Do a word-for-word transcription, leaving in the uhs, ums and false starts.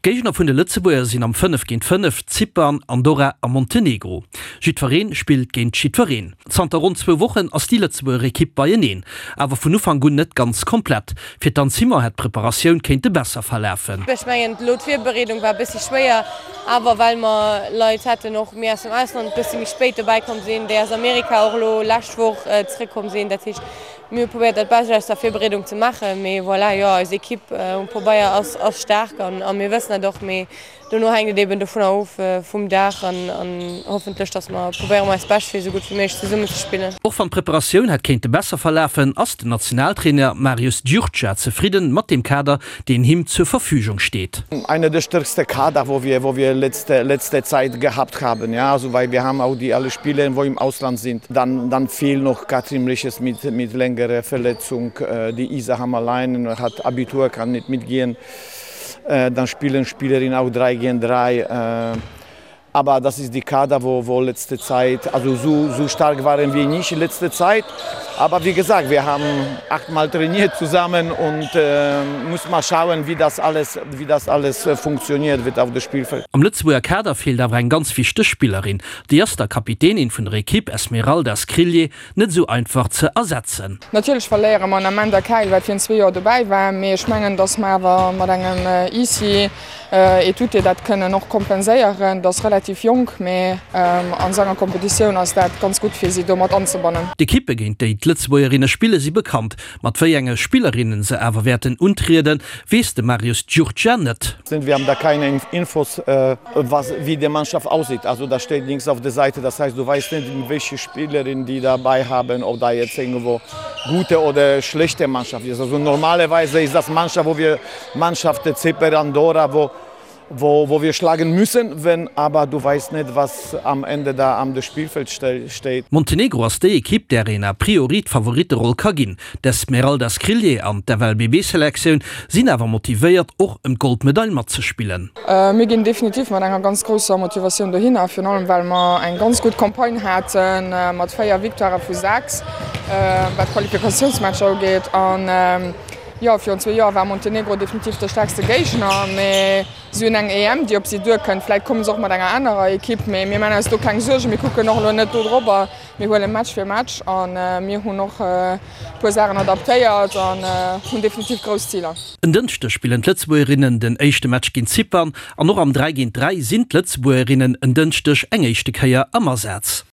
D'Géigner vun de Lëtzebuerger sinn am fënnef géint fënnef Zypern, Andorra a Montenegro. Jiddweree spillt géint jiddwereen. Zanter ronn zwou Wochen ass déi Lëtzebuerger Ekipp beieneen, awer vun Ufank un net ganz komplett. Fir d'Anne Simon hätt d'Preparatioun kéinte besser verlafen. Ech mengen elo d'Virbereedung war e bëssi schwéier, awer well mer Leit haten och méi aus dem Ausland bëssi méi spéit dobäi komm sinn, déi aus Amerika och elo lescht Woch zeréckkomm sinn. Dat heescht mir hu probéiert dat Bescht aus der Virbereedung ze maachen, mee voilà, jo eis Ekipp um Pabeier ass ass staark an a mir wëssen dat och, mee dono hänkt et eben dovunner of vum Dag an an hoffentlech datt mer probéiere mer eist Bescht fir esou gutt wéi méiglech zesummen ze spillen. Och wann d'Preparatioun hätt kéinte besser verlafen, ass den Nationaltrainer Marius Gyurcsa zefridden mat dem Kader, deen him zur Verfügung steet. Einer der stärksten Kader, wo wir, wo wir letzte, letzte Zeit gehabt haben. Ja, also weil wir haben auch die alle Spieler, wo im Ausland sind. Dann, dann fehlt noch Katrin Liches mit, mit längerer Verletzung. Die Isa Hammerlein hat Abitur, kann nicht mitgehen. Dann spielen Spielerinnen auch drei gegen drei. Aber das ist die Kader, wo, wo letzte Zeit, also so, so stark waren wir nicht in letzter Zeit. Aber wie gesagt, wir haben achtmal trainiert zusammen und äh, muss mal schauen, wie das alles, wie das alles funktioniert wird auf dem Spielfeld. Am Lëtzebuerger Kader feelt awer eng ganz wichteg Spillerin. Déi ass der Kapitänin vun der Ekipp Esmeralda Skriljé net sou einfach ze ersetzen. Natierlech verléiere mer en Amanda Kayl, wat virun zwee Joer dobäi war, mee ech mengen, datt mer awer mat engem Isi Etute dat kënnen och kompenséieren. Dat ass relativ jonk, mee an esou enger Kompetitioun ass dat ganz gutt fir si do mat anzebannen. D'Ekippe géint déi d'Lëtzebuergerinne spille si bekannt. Mat wéi enge Spillerinne se awer wäerten untrieden, weess de Marius Gyurcsa net. Wir haben da keine Infos, was, wie die Mannschaft aussieht. Also da steht nichts auf der Seite, das heißt, du weißt nicht, welche Spielerinnen die dabei haben, ob da jetzt irgendwo gute oder schlechte Mannschaft ist. Also normalerweise ist das Mannschaft, wo wir Mannschaft Zypern, Andorra, wo wo, wo wir schlagen müssen, wenn aber du weißt nicht, was am Ende da am Spielfeld steht. Montenegro ass déi Ekipp, där een a priori d'Favoritteroll ka ginn. D'Esmeralda Skriljé an d'F L B B-Selektioun sinn awer motivéiert, och ëm d'Goldmedail matzespillen. Mir ginn definitiv mat enger ganz grousser Motivatioun dohinner, virun allem well mer eng ganz gutt Campagne haten mat véier Victoirë vu sechs, wat d'Qualifikatiounsmatcher ugeet. An jo, virun zwee Joer war Montenegro definitiv de stäerkste Géigner, mee si hunn eng E M, déi op si duerkënnt. Vläicht komme se och mat enger anerer Ekipp, mee mir maachen eis do keng Suergen. Mir kucken och elo net do drop. Mir huele Match fir Match a mir hunn och e puer Saachen adaptéiert an hunn definitiv grouss Ziler. En Dënschdeg spillen d'Lëtzebuergerinnen den éischte Match géint Zypern an och am dräi géint dräi sinn d'Lëtzebuergerinnen en Dënschdeg eng éischte Kéier am Asaz.